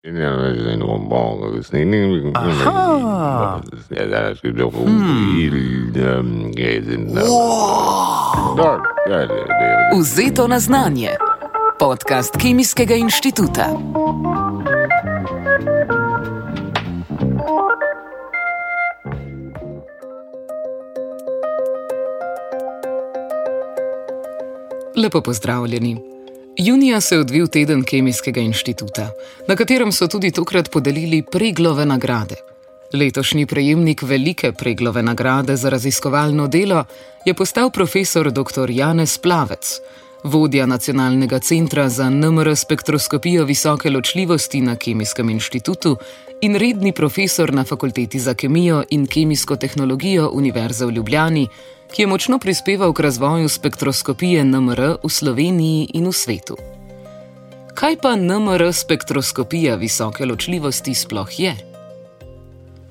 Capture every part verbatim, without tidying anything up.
Aha. Vzeto na znanje. Podcast Kemijskega inštituta. Lepo pozdravljeni. Junija se je odvil teden Kemijskega inštituta, na katerem so tudi tokrat podelili Preglove nagrade. Letošnji prejemnik velike Preglove nagrade za raziskovalno delo je postal profesor doktor Janez Plavec, vodja Nacionalnega centra za en em er spektroskopijo visoke ločljivosti na Kemijskem inštitutu in redni profesor na Fakulteti za kemijo in kemijsko tehnologijo Univerze v Ljubljani, ki je močno prispeval k razvoju spektroskopije en em er v Sloveniji in v svetu. Kaj pa en em er spektroskopija visoke ločljivosti sploh je?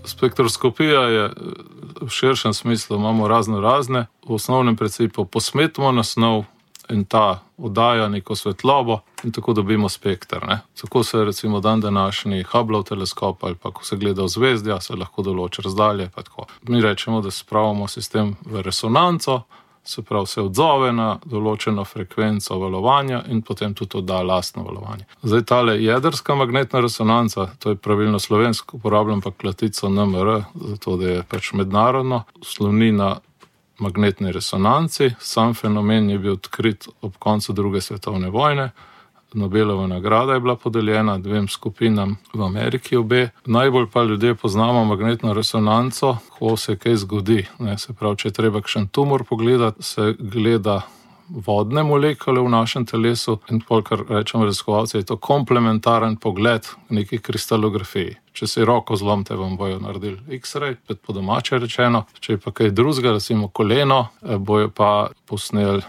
Spektroskopija je v širšem smislu, imamo razno razne, v osnovnem principu posmetimo na snov in ta oddaja neko svetlobo in tako dobimo spekter. Ne? Tako se recimo dan današnji Hubbleov teleskop ali pa ko se gleda v zvezdja, se lahko določi razdalje. Pa tako. Mi rečemo, da spravimo sistem v resonanco, se pravi se odzove na določeno frekvenco valovanja in potem tudi odda lastno valovanje. Zdaj tale jedrska magnetna resonanca, to je pravilno slovensko, uporabljam pa klatico en em er, zato da je pač mednarodno, sloni na magnetni resonanci. Sam fenomen je bil odkrit ob koncu druge svetovne vojne. Nobelova nagrada je bila podeljena dvem skupinam v Ameriki obe. Najbolj pa ljudje poznamo magnetno resonanco, ko se kaj zgodi. Ne, se pravi, če je treba kakšen tumor pogledati, se gleda vodne molekule v našem telesu in pol, kar rečemo raziskovalci, je to komplementaren pogled v neki kristalografiji. Če si roko zlomite, vam bojo naredili X-ray, po domače rečeno. Če je pa kaj drugega, recimo koleno, bojo pa posneli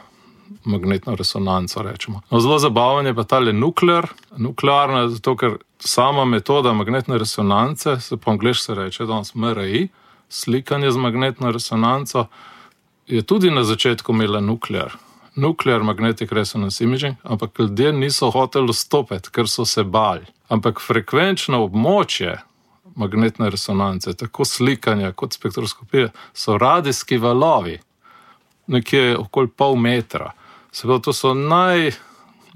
magnetno resonanco, rečemo. No, zelo zabaven je pa tale nuklear. Nuklearna je zato, ker sama metoda magnetne resonance, se po angliško se reče danes em er i, slikanje z magnetno resonanco, je tudi na začetku imela nuklear. Nuclear Magnetic Resonance Imaging, ampak ljudje niso hoteli vstopiti, ker so se bali. Ampak frekvenčno območje magnetne resonance, tako slikanja kot spektroskopije, so radijski valovi, nekje okoli pol metra. Se pravi, to so naj,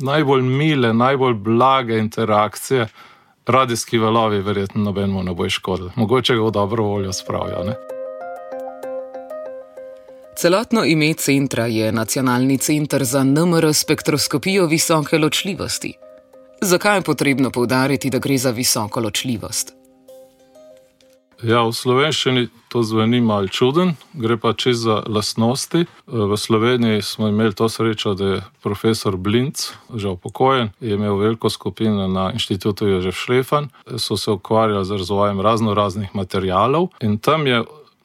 najbolj mile, najbolj blage interakcije. Radijski valovi verjetno nobenemu ne bo škodili. Mogoče ga v dobro voljo spravijo, ne? Celotno ime centra je Nacionalni center za en em er spektroskopijo visoke ločljivosti. Zakaj je potrebno poudariti, da gre za visoko ločljivost? Ja, v slovenščini to zveni malo čuden, gre pa čez za lastnosti. V Sloveniji smo imeli to srečo, da je profesor Blinc, že upokojen, je imel veliko skupino na inštitutu Jožef Schlefan, so se ukvarjali z razvojem razno raznih materialov in tam je,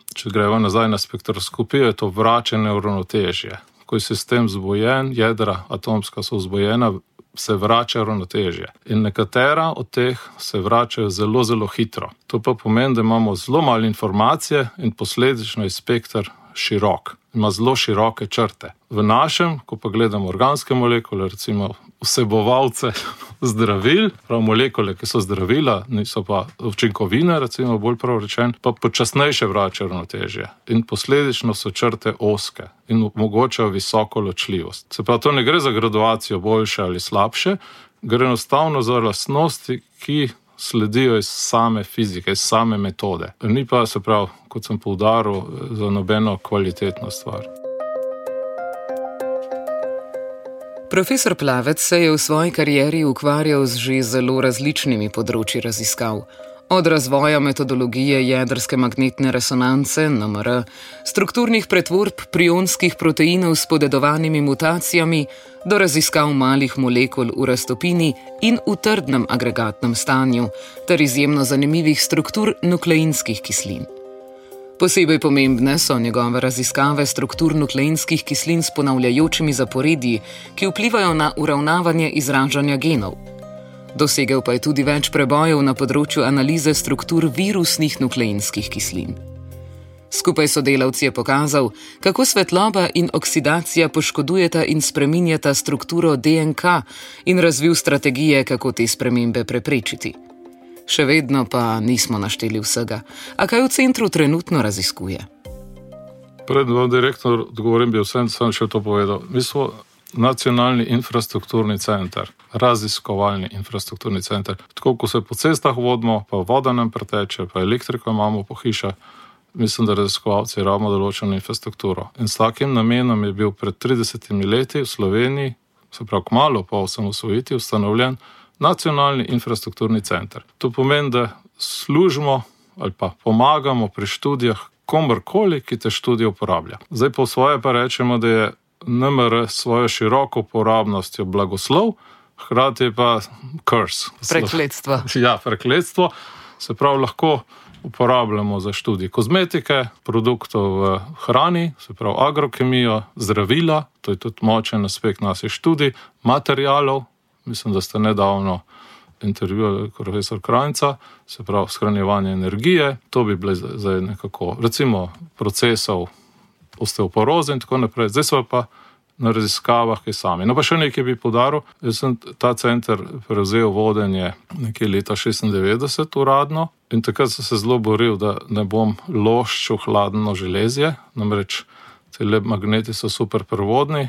če gremo nazaj na spektroskopijo, je to vračanje v ravnotežje. Ko je sistem zbojen, jedra atomska so vzbojena, se vrača ravnotežje. In nekatera od teh se vračajo zelo, zelo hitro. To pa pomeni, da imamo zelo malo informacije in posledično je spekter širok. Ima zelo široke črte. V našem, ko pa gledamo organske molekule, recimo vsebovalce zdravil, prav molekule, ki so zdravila, niso pa učinkovine, recimo bolj prav rečen, pa počasnejše vračajo ravnotežje. In posledično so črte ozke in omogočajo visoko ločljivost. Se pravi, to ne gre za graduacijo boljše ali slabše, gre enostavno za lastnosti, ki sledijo iz same fizike, iz same metode. Ni pa, se pravi, kot sem poudaril, za nobeno kvalitetno stvar. Profesor Plavec se je v svoji karieri ukvarjal z že zelo različnimi področji raziskav. Od razvoja metodologije jedrske magnetne resonance, en em er, strukturnih pretvorb prionskih proteinov s podedovanimi mutacijami, do raziskav malih molekul v raztopini in v trdnem agregatnem stanju, ter izjemno zanimivih struktur nukleinskih kislin. Posebej pomembne so njegove raziskave struktur nukleinskih kislin s ponavljajočimi zaporedji, ki vplivajo na uravnavanje izražanja genov. Dosegel pa je tudi več prebojev na področju analize struktur virusnih nukleinskih kislin. Skupaj s sodelavci je pokazal, kako svetloba in oksidacija poškodujeta in spreminjata strukturo D N K in razvil strategije, kako te spremembe preprečiti. Še vedno pa nismo našteli vsega. A kaj v centru trenutno raziskuje? Predno vam direktor odgovorim, bi vsem sem še to povedal. Mi smo nacionalni infrastrukturni center, raziskovalni infrastrukturni center. Tako, ko se po cestah vodimo, pa voda nam preteče, pa elektriko imamo po hišah, mislim, da raziskovalci rabimo določeno infrastrukturo. In s takim namenom je bil pred tridesetimi leti v Sloveniji, se pravi kmalu po osamosvojitvi, ustanovljen nacionalni infrastrukturni center. To pomeni, da služimo ali pa pomagamo pri študijah komorkoli, ki te študije uporablja. Zdaj po svoje pa rečemo, da je N M R s svojo široko uporabnostjo blagoslov, hkrati pa curse. Prekletstvo. Ja, prekletstvo. Se pravi, lahko uporabljamo za študij kozmetike, produktov v hrani, se pravi agrokemijo, zdravila, to je tudi močen aspekt naših študij, materialov, mislim, da ste nedavno intervjuvali profesor Krajnca, se pravi shranjevanje energije, to bi bile zdaj nekako, recimo procesov osteoporoze in tako naprej. Zdaj so pa na raziskavah kaj sami. No pa še nekaj bi poudaril, jaz sem ta center prevzel vodenje nekje leta šestindevetdeset uradno in takrat sem se zelo boril, da ne bom loščil hladno železje, namreč te magneti so super prevodni,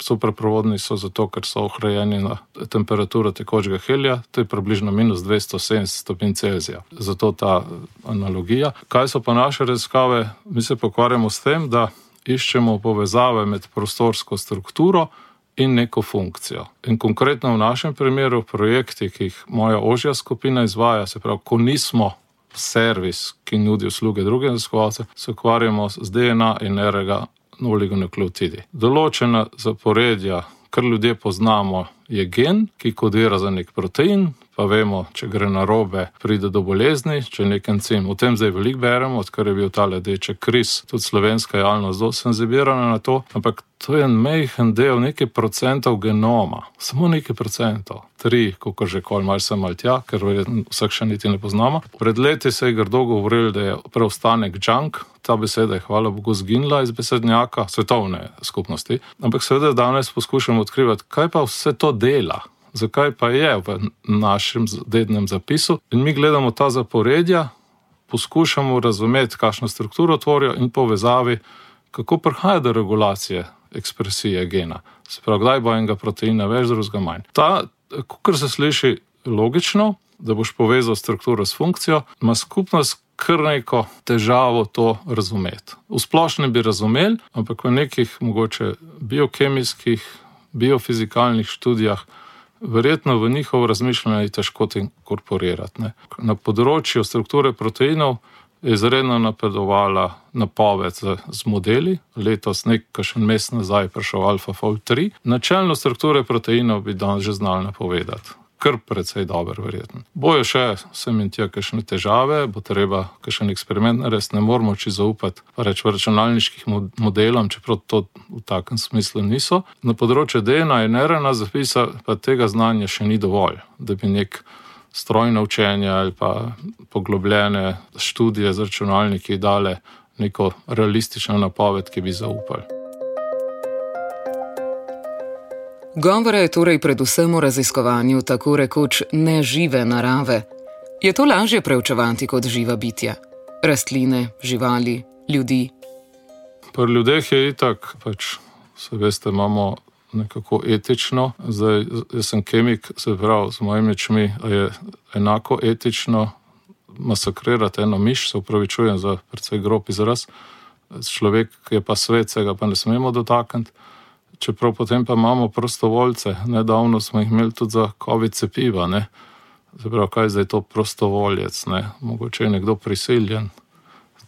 super prevodni so zato, ker so ohrajeni na temperaturo tekočega helija, to je približno minus dvesto sedemdeset stopinj Celzija. Zato ta analogija. Kaj so pa naše raziskave? Mi se pokvarjamo s tem, da iščemo povezave med prostorsko strukturo in neko funkcijo. In konkretno v našem primeru projekti, ki jih moja ožja skupina izvaja, se pravi, ko nismo servis, ki nudi usluge drugim raziskovalcem, se ukvarjamo z D N A in R N A oligonukleotidi. Določena zaporedja, kar ljudje poznamo, je gen, ki kodira za nek protein, pa vemo, če gre narobe, pride do bolezni, če nek encim. O tem zdaj veliko beremo, odkar je bil ta ledeček kriz, tudi slovenska javnost zelo senzibirana na to, ampak to je en majhen del, nekaj procentov genoma, samo nekaj procentov, tri, kakor že kol, malo sem mal tja, ker vsak še niti ne poznamo. Pred leti se je grdo govorili, da je preostanek junk, ta beseda je hvala Bogu zginila iz besednjaka svetovne skupnosti, ampak seveda danes poskušamo odkrivati, kaj pa vse to dela, zakaj pa je v našem dednem zapisu in mi gledamo ta zaporedja, poskušamo razumeti, kakšno strukturo tvorijo in povezavi, kako prihaja do regulacije ekspresije gena. Se pravi, kdaj bo enega proteina več, drugega manj. Ta, kakor se sliši logično, da boš povezal strukturo s funkcijo, ima skupnost kar neko težavo to razumeti. V splošnem bi razumeli, ampak v nekih mogoče biokemijskih, biofizikalnih študijah verjetno v njihovo razmišljanje je težko inkorporirati. Ne. Na področju strukture proteinov je izredno napredovala napoved z, z modeli. Letos nekaj še mesec nazaj prišel AlphaFold tri. Načelno strukture proteinov bi danes že znali napovedati. Kar precej dober, verjetno. Bojo še sem in tja kakšne težave, bo treba kakšen eksperiment narediti, ne moramo či zaupati pa reč v računalniških modelom, čeprav to v takem smislu niso. Na področju D N A in R N A zapisa pa tega znanja še ni dovolj, da bi nek strojno učenje ali pa poglobljene študije z računalniki dale neko realistično napoved, ki bi zaupali. Govora je torej predvsem o raziskovanju tako rekoč nežive narave. Je to lažje preučevati kot živa bitja? Rastline, živali, ljudi? Pri ljudeh je itak, pač, se veste, imamo nekako etično. Zdaj, jaz sem kemik, se pravi, z mojimi očmi je enako etično masakrirati eno miš, se upravičujem za precej grob izraz. Človek je pa svet, se ga pa ne smemo dotakniti. Čeprav potem pa imamo prostovoljce. Nedavno smo jih imeli tudi za COVID cepiva, ne. Zaprav, kaj je zdaj to prostovoljec, ne. Mogoče je nekdo prisiljen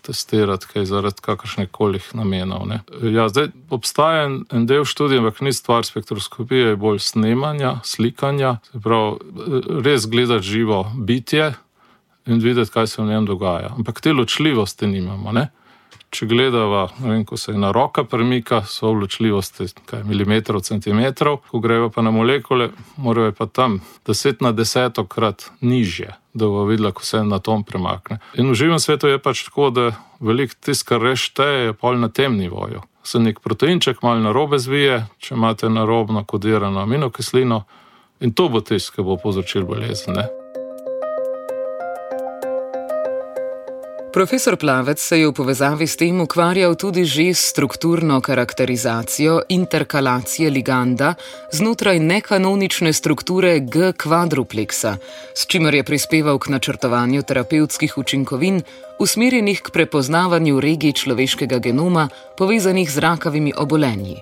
testirati kaj zaradi kakršnekolih namenov, ne. Ja, zdaj obstaja en, en del študij, ampak ni stvar spektroskopije, je bolj snemanja, slikanja, se pravi, res gledati živo bitje in videti, kaj se v njem dogaja. Ampak te ločljivosti nimamo, ne. Če gledava, ne vem, ko se ena roka premika, so ločljivosti kaj, milimetrov, centimetrov, ko grejo pa na molekule, morajo pa tam deset na desetokrat nižje, da bo videla, ko se en atom premakne. In v živem svetu je pač tako, da veliko tis, kar res šteje, je pol na tem nivoju. Se nek proteinček malo narobe zvije, če imate narobno kodirano aminokislino, in to bo tis, ki bo povzročil bolezen, ne. Profesor Plavec se je v povezavi s tem ukvarjal tudi že s strukturno karakterizacijo interkalacije liganda znotraj nekanonične strukture G-kvadrupleksa, s čimer je prispeval k načrtovanju terapevtskih učinkovin, usmerjenih k prepoznavanju regij človeškega genoma, povezanih z rakavimi obolenji.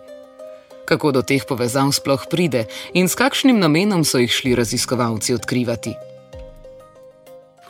Kako do teh povezav sploh pride in s kakšnim namenom so jih šli raziskovalci odkrivati?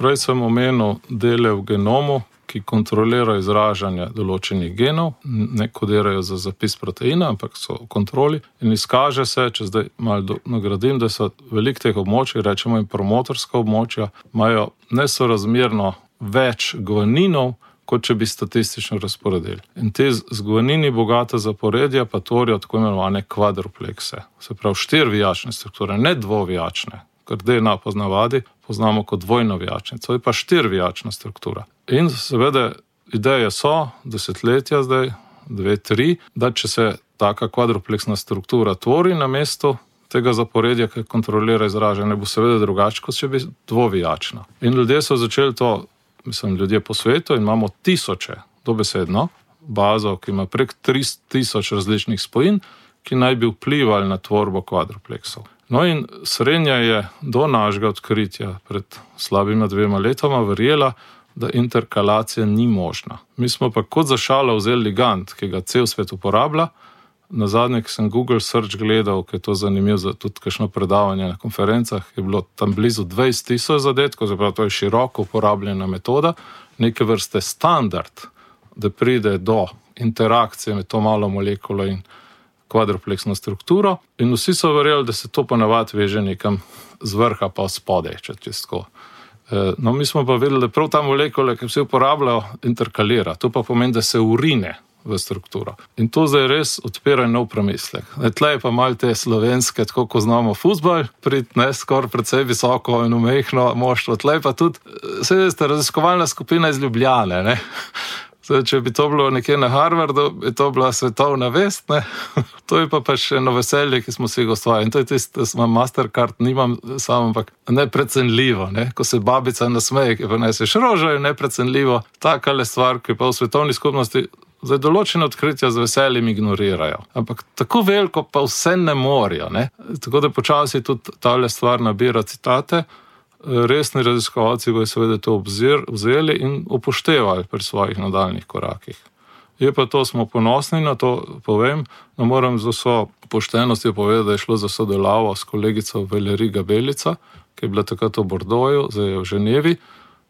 Prej sem omenil dele v genomu, ki kontrolirajo izražanje določenih genov, ne kodirajo za zapis proteina, ampak so v kontroli. In izkaže se, če zdaj malo nagradim, da so velik teh območij, rečemo in promotorska območja, imajo nesorazmerno več guaninov, kot če bi statistično razporedili. In te z guanini bogate zaporedja pa tvorijo tako imenovane kvadruplekse. Se pravi štirivijačne strukture, ne dvovijačne, ker D N A poznavadi poznamo kot dvojnovijačnico, to je pa štirivijačna struktura. In seveda ideje so, desetletja zdaj, dve, tri, da če se taka kvadrupleksna struktura tvori na mestu tega zaporedja, ki kontrolira izražanje, bo seveda drugače, kot če bi dvovijačna. In ljudje so začeli to, mislim, ljudje po svetu in imamo tisoče, dobesedno, bazo, ki ima prek tri tisoč različnih spojin, ki naj bi vplivali na tvorbo kvadrupleksov. No in srednja je do našega odkritja pred slabima dvema letoma verjela, da interkalacija ni možna. Mi smo pa kot za šalo vzeli ligand, ki ga cel svet uporablja. Na zadnje, ki sem Google Search gledal, ki je to zanimivo za tudi kakšno predavanje na konferencah, je bilo tam blizu dvajset tisoč zadetkov, zapravo to je široko uporabljena metoda, neke vrste standard, da pride do interakcije med to malo molekulo in kvadrupleksno strukturo. In vsi so verjeli, da se to ponavadi veže nekam z vrha pa spodaj, če čistko. No, mi smo pa vedeli, da prav ta molekula, ki vsi uporabljajo, interkalira. To pa pomeni, da se urine v strukturo. In to zdaj res odpira nov premislek. Tle je pa malo te slovenske, tako ko znamo fuzbal, prid ne skoraj precej visoko in umehno moštvo. Tle pa tudi, se veste, raziskovalna skupina iz Ljubljane, ne? Zdaj, če bi to bilo nekje na Harvardu, bi to bila svetovna vest, ne? To je pa pa še eno veselje, ki smo si ga ustvarili. In to je tisto, da sem Mastercard, nimam samo, ampak neprecenljivo, ne? Ko se babica nasmeje, ki pa neseš rožo, je neprecenljivo. Takale stvar, ki pa v svetovni skupnosti zdaj določene odkritja z veseljem ignorirajo. Ampak tako veliko pa vse ne morajo, ne? Tako da počasi tudi tale stvar nabira citate. Resni raziskovalci bojo seveda to obzir, vzeli in upoštevali pri svojih nadaljnih korakih. Je pa to, smo ponosni na to, povem, no moram z vso poštenostjo povedati, da je šlo za sodelavo s kolegico Valérie Gabelica, ki je bila takrat v Bordeauxu, zdaj je v Ženevi,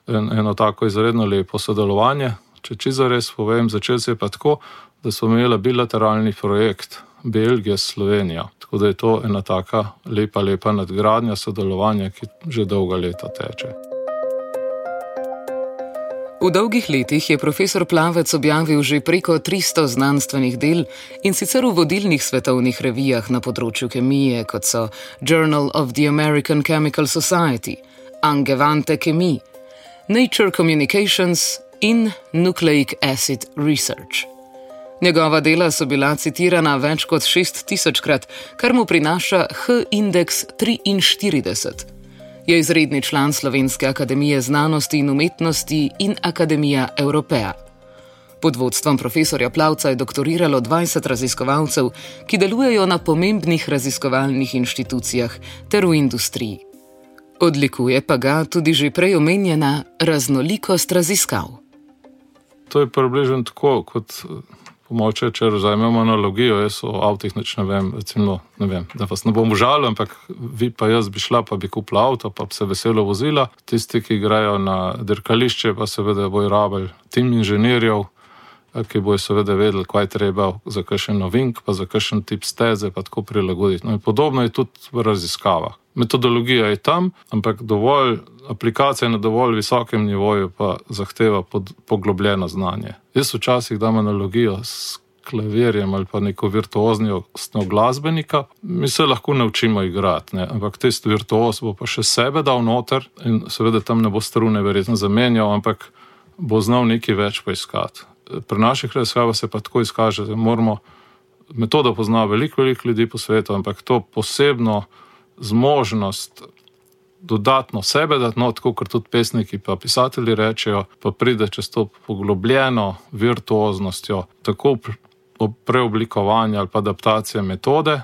en, eno tako izredno lepo sodelovanje. Če čisto res povem, začel se je pa tako, da smo imeli bilateralni projekt Belgija s Slovenijo. Tako da je to ena taka lepa, lepa nadgradnja sodelovanja, ki že dolga leta teče. V dolgih letih je profesor Plavec objavil že preko tristo znanstvenih del in sicer v vodilnih svetovnih revijah na področju kemije, kot so Journal of the American Chemical Society, Angewandte Chemie, Nature Communications in Nucleic Acid Research. Njegova dela so bila citirana več kot šest tisočkrat, kar mu prinaša H-indeks triinštirideset. Je izredni član Slovenske akademije znanosti in umetnosti in Akademija Evropea. Pod vodstvom profesorja Plavca je doktoriralo dvajset raziskovalcev, ki delujejo na pomembnih raziskovalnih inštitucijah ter v industriji. Odlikuje pa ga tudi že prej omenjena raznolikost raziskav. To je približno tako, kot pomoče, če vzamemo analogijo, jaz o avtih nič ne vem, recimo, ne vem, da vas ne bom užalil, ampak vi pa jaz bi šla, pa bi kupila avto, pa bi se veselo vozila. Tisti, ki grejo na dirkališče, pa seveda bojo rabili tim inženirjev, ki bojo seveda vedeli, kaj treba za kakšen novink, pa za kakšen tip steze, pa tako prilagoditi. No in podobno je tudi v raziskavah. Metodologija je tam, ampak dovolj, aplikacija na dovolj visokem nivoju pa zahteva pod, poglobljeno znanje. Jaz včasih dam analogijo s klavirjem ali pa neko virtuoznostjo glasbenika. Mi se lahko naučimo igrati, ne? Ampak tisti virtuoz bo pa še sebe dal noter in seveda tam ne bo strune verjetno zamenjal, ampak bo znal nekaj več poiskati. Pri naših raziskavah se pa tako izkaže, da moramo, metodo pozna veliko, veliko ljudi po svetu, ampak to posebno zmožnost dodatno sebe dati, no, tako kot tudi pesniki pa pisatelji rečejo, pa pride čez to poglobljeno virtuoznostjo, tako preoblikovanja ali pa adaptacije metode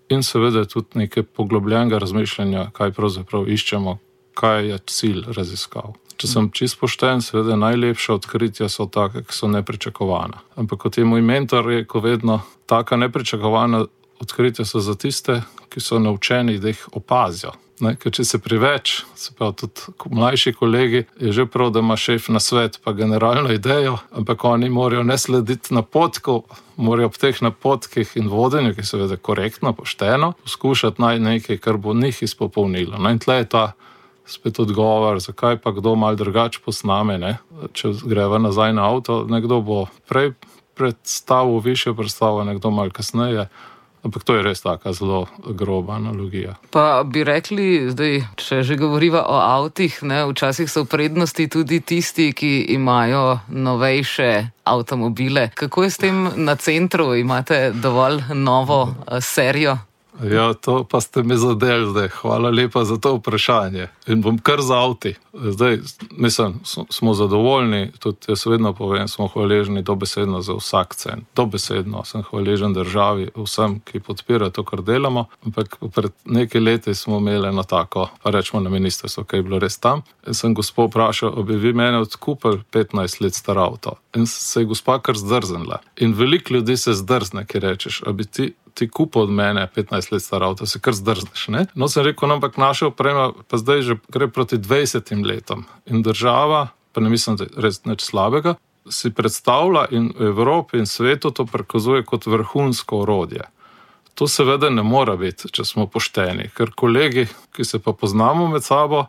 in seveda tudi neke poglobljenega razmišljanja, kaj pravzaprav iščemo, kaj je cilj raziskav. Če sem čisto pošten, seveda najlepša odkritja so take, ki so nepričakovana. Ampak kot je moj mentor rekel vedno, taka nepričakovana odkritja so za tiste, ki so naučeni, da jih opazijo. Ne, ker če se preveč, se pa tudi mlajši kolegi, je že prav, da ima šef na svet pa generalno idejo, ampak oni morajo ne slediti napotku, morajo ob teh napotkih in vodenju, ki je seveda korektno, pošteno, poskušati najti nekaj, kar bo njih izpopolnilo. No, in tle je ta spet odgovor, zakaj pa kdo malo drugače posname, ne? Če greva nazaj na avto, nekdo bo prej predstavil višjo predstavo, nekdo malo kasneje. Ampak to je res taka zelo groba analogija. Pa bi rekli, zdaj, če že govoriva o avtih, ne, včasih so v prednosti tudi tisti, ki imajo novejše avtomobile. Kako je s tem na centru? Imate dovolj novo serijo? Ja, to pa ste me zadeli zdaj. Hvala lepa za to vprašanje. In bom kar za avti. Zdaj, mislim, smo zadovoljni, tudi jaz vedno povem, smo hvaležni dobesedno za vsak cent. Dobesedno sem hvaležen državi, vsem, ki podpira to, kar delamo. Ampak pred nekaj leti smo imeli eno tako, pa rečemo na ministrstvo, kaj je bilo res tam. In sem gospo vprašal, bi vi mene odkupili petnajst let star avto. In se je gospa kar zdrznila. In veliko ljudi se zdrzne, ki rečeš, a bi ti ti kupo od mene petnajst let star avto, se kar zdrzneš, ne? No, sem rekel, ampak naša oprema pa zdaj že gre proti dvajsetim letom. In država, pa ne mislim, da je res nič slabega, si predstavlja in v Evropi in svetu to prikazuje kot vrhunsko orodje. To seveda ne mora biti, če smo pošteni, ker kolegi, ki se pa poznamo med sabo,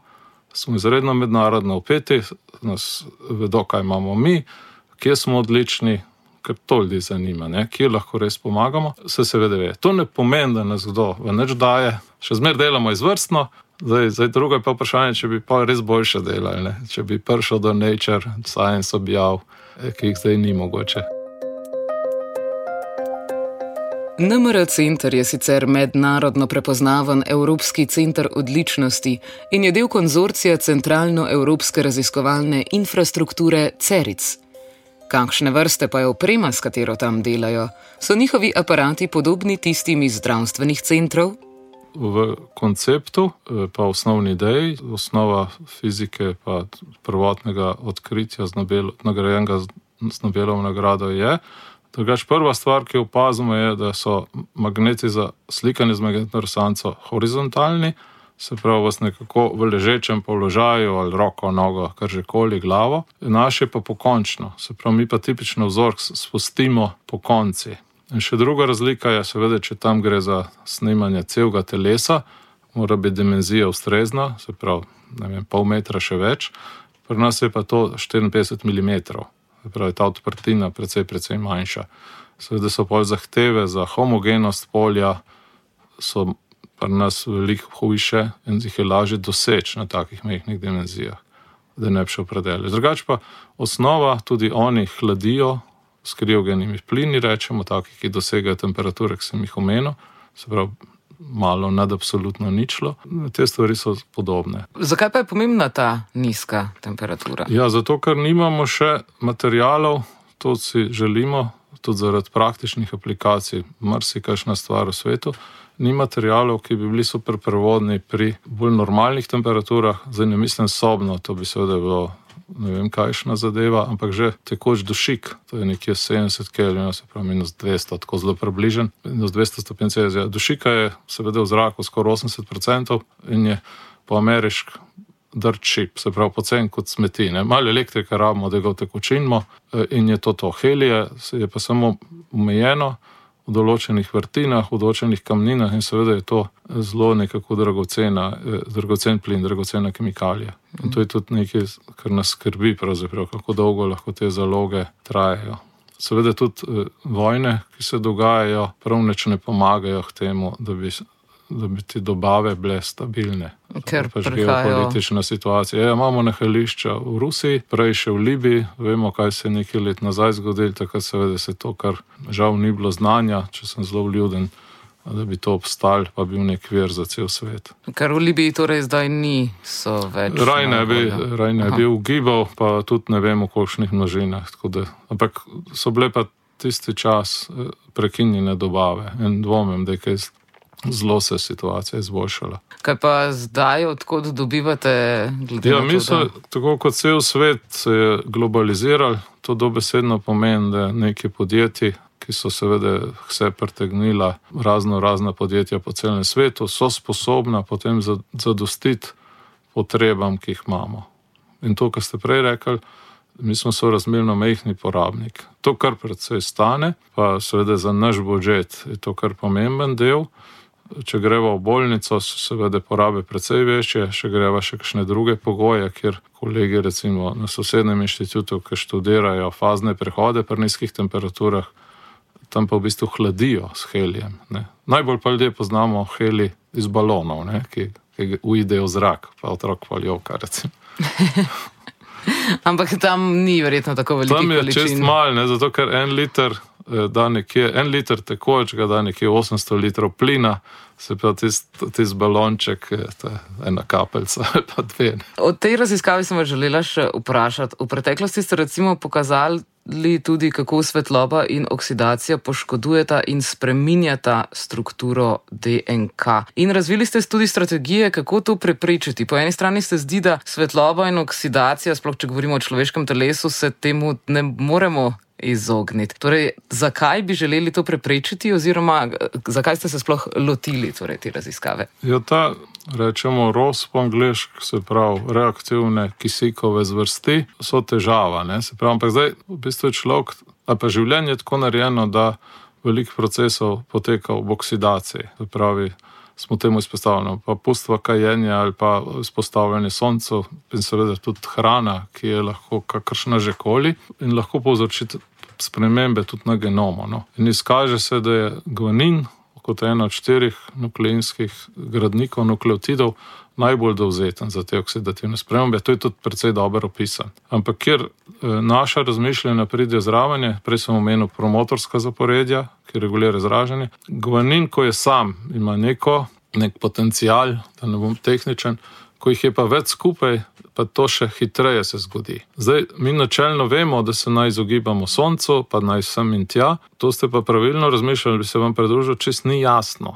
smo izredno mednarodno vpeti, nas vedo, kaj imamo mi, kje smo odlični, ker to ljudi zanima, ne? Kje lahko res pomagamo, se seveda ve. To ne pomeni, da nas kdo v nič daje, še zmer delamo izvrstno, zdaj, zdaj drugo je pa vprašanje, če bi pa res boljše delali, ne? Če bi prišel do Nature Science objav, ki jih zdaj ni mogoče. N M R center je sicer mednarodno prepoznaven evropski center odličnosti in je del konzorcija centralno-evropske raziskovalne infrastrukture CERIC. Kakšne vrste pa je oprema, s katero tam delajo? So njihovi aparati podobni tistim iz zdravstvenih centrov? V konceptu, pa osnovni ideji, osnova fizike pa prvotnega odkritja nagrajenega z Nobelovo nagrado je. Drugač, prva stvar, ki opazimo, je, da so magneti za slikanje z magnetno resonanco horizontalni, se pravi vas nekako v ležečem položaju ali roko, nogo, kar že koli, glavo. Naše pa pokončno, se pravi mi pa tipično vzork spustimo po konci. In še druga razlika je seveda, če tam gre za snemanje celega telesa, mora biti dimenzija ustrezna, se pravi, ne vem, pol metra še več, pri nas je pa to štiriinpetdeset milimetrov, se pravi ta odprtina precej, precej manjša. Seveda so pol zahteve za homogenost polja, so pri nas veliko hujše in jih je lažje doseči na takih majhnih dimenzijah, da ne bi šel predele. Drugač pa osnova, tudi oni hladijo s kriogenimi plini, rečemo, taki, ki dosegajo temperature, ki sem jih omenil, se pravi malo nad absolutno ničlo. Te stvari so podobne. Zakaj pa je pomembna ta nizka temperatura? Ja, zato, ker nimamo še materialov, to si želimo, tudi zaradi praktičnih aplikacij, marsikakšna stvar v svetu, ni materialov, ki bi bili super prevodni pri bolj normalnih temperaturah, zdaj ne mislim sobno, to bi seveda bilo ne vem kakšna zadeva, ampak že tekoč dušik, to je nekje sedemdeset kelvinov, se pravi minus dvesto, tako zelo približen, minus dvesto stopinj Celzija. Dušika je seveda v zraku skoraj osemdeset procentov in je po ameriški dirt cheap, se pravi pocen kot smeti. Ne? Malo elektrike rabimo, da ga utekočinimo in je to to. Helije je pa samo omejeno v določenih vrtinah, v določenih kamninah in seveda je to zelo nekako dragocena, dragocen plin, dragocena kemikalija. In to je tudi nekaj, kar nas skrbi pravzaprav, kako dolgo lahko te zaloge trajajo. Seveda tudi vojne, ki se dogajajo, prav nič ne pomagajo k temu, da bi, da bi ti dobave bile stabilne. Ker pač prihajajo. Geopolitična situacija. Ja, imamo nahajališča v Rusiji, prej še v Libiji, vemo, kaj se je nekaj let nazaj zgodilo, takrat seveda se to, kar žal ni bilo znanja, če sem zelo vljuden, da bi to obstal, pa bil nek vir za cel svet. Kar v Libiji torej zdaj ni, so več. Raj ne bi, raj ne bi ugibal, pa tudi ne vem v kolikšnih množinah. Da, ampak so bile pa tisti čas prekinjene dobave in dvomim, da je kaj zelo se situacija izboljšala. Kaj pa zdaj, odkot dobivate glede ja, na to? Mi so, tako kot cel svet se je globaliziral, to dobesedno pomeni, da neki podjetji, ki so seveda vse pretegnila razno razna podjetja po celem svetu, so sposobna potem zadostiti potrebam, ki jih imamo. In to, kar ste prej rekli, mi smo sorazmerno majhni porabnik. To, kar predvsej stane, pa seveda za naš budžet je to kar pomemben del. Če greva v bolnico, so seveda porabe precej večje, še greva še kakšne druge pogoje, kjer kolegi recimo na sosednjem inštitutu, ki študirajo fazne prehode pri nizkih temperaturah, tam pa v bistvu hladijo s helijem. Ne. Najbolj pa ljudje poznamo heli iz balonov, ne, ki, ki uidejo v zrak, pa otrok pa ljoka recimo. Ampak tam ni verjetno tako velikih količin. Tam je čist mal, ne, zato ker en liter da nekje, en liter tekočega da nekje osemsto litrov plina, se pa tist, tist balonček, ena kapelca ali pa dve. O tej raziskavi sem vas želela še vprašati. V preteklosti ste recimo pokazali tudi, kako svetloba in oksidacija poškodujeta in spreminjata strukturo D N K. In razvili ste tudi strategije, kako to preprečiti. Po eni strani se zdi, da svetloba in oksidacija, sploh če govorimo o človeškem telesu, se temu ne moremo izogniti. Torej, zakaj bi želeli to preprečiti oziroma zakaj ste se sploh lotili torej, te raziskave? Ja, ta, rečemo, R O S po angleško, se pravi, reaktivne kisikove zvrsti, so težava, ne, se pravi, ampak zdaj v bistvu je človek, a pa življenje je tako narejeno, da veliko procesov poteka v oksidaciji, se pravi, smo temu izpostavljeni, pa pustva kajenje ali pa izpostavljanje soncu in seveda tudi hrana, ki je lahko kakršna že koli in lahko povzročiti spremembe tudi na genomu. No. In izkaže se, da je guanin kot ena od štirih nukleinskih gradnikov nukleotidov najbolj dovzeten za te oksidativne spremembe. To je tudi precej dobro opisan. Ampak kjer naša razmišljanja pride zraven, prej sem omenil promotorska zaporedja, ki regulira izražanje. Guanin, ko je sam, ima neko, nek potencial, da ne bom tehničen, ko jih je pa več skupaj, pa to še hitreje se zgodi. Zdaj, mi načelno vemo, da se naj izogibamo soncu, pa naj sem in tja. To ste pa pravilno razmišljali, bi se vam pridružil, čist ni jasno.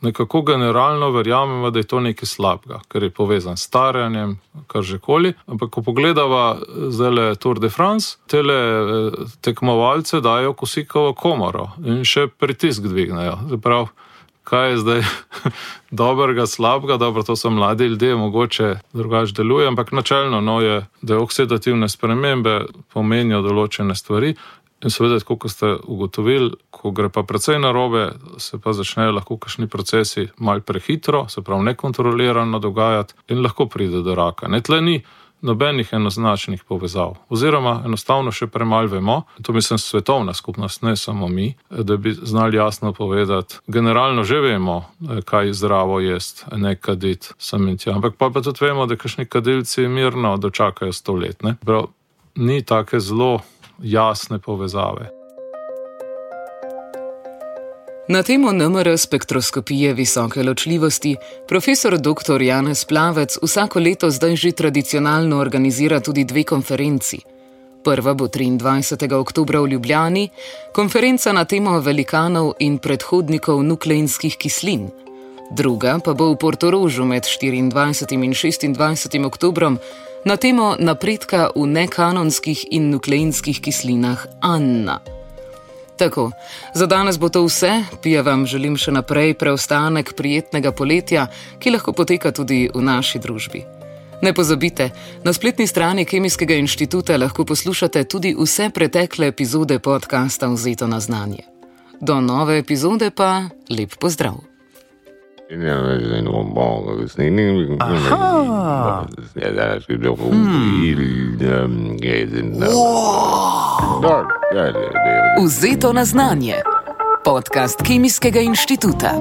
Nekako generalno verjamemo, da je to nekaj slabega, ker je povezan s staranjem, kar že koli. Ampak ko pogledava zdajle Tour de France, tele tekmovalce dajo kisikovo komoro in še pritisk dvignejo. Zaprav, kaj je zdaj dobrega, slabega, dobro, to so mladi ljudje, mogoče drugače deluje, ampak načelno no, je, da oksidativne spremembe pomenijo določene stvari. In seveda, tako kot ste ugotovili, ko gre pa precej narobe, se pa začnejo lahko kakšni procesi malo prehitro, se pravi nekontrolirano dogajati in lahko pride do raka. Ne, tle ni nobenih enoznačnih povezav. Oziroma, enostavno še premalo vemo, to mislim svetovna skupnost, ne samo mi, da bi znali jasno povedati. Generalno že vemo, kaj zdravo jest, ne kaditi sem in tja. Ampak pa, pa tudi vemo, da kakšni kadilci mirno dočakajo sto let. Ne? Prav, ni take zelo jasne povezave. Na temo N M R spektroskopije visoke ločljivosti profesor doktor Janez Plavec vsako leto zdaj že tradicionalno organizira tudi dve konferenci. Prva bo triindvajsetega oktobra v Ljubljani, konferenca na temo velikanov in predhodnikov nukleinskih kislin. Druga pa bo v Portorožu med štiriindvajsetim in šestindvajsetim oktobrom na temo napredka v nekanonskih in nukleinskih kislinah Anna. Tako, za danes bo to vse, pija vam želim še naprej preostanek prijetnega poletja, ki lahko poteka tudi v naši družbi. Ne pozabite, na spletni strani Kemijskega inštituta lahko poslušate tudi vse pretekle epizode podcasta Vzeto na znanje. Do nove epizode pa lep pozdrav. Vzeto na znanje. Podcast Kemijskega inštituta.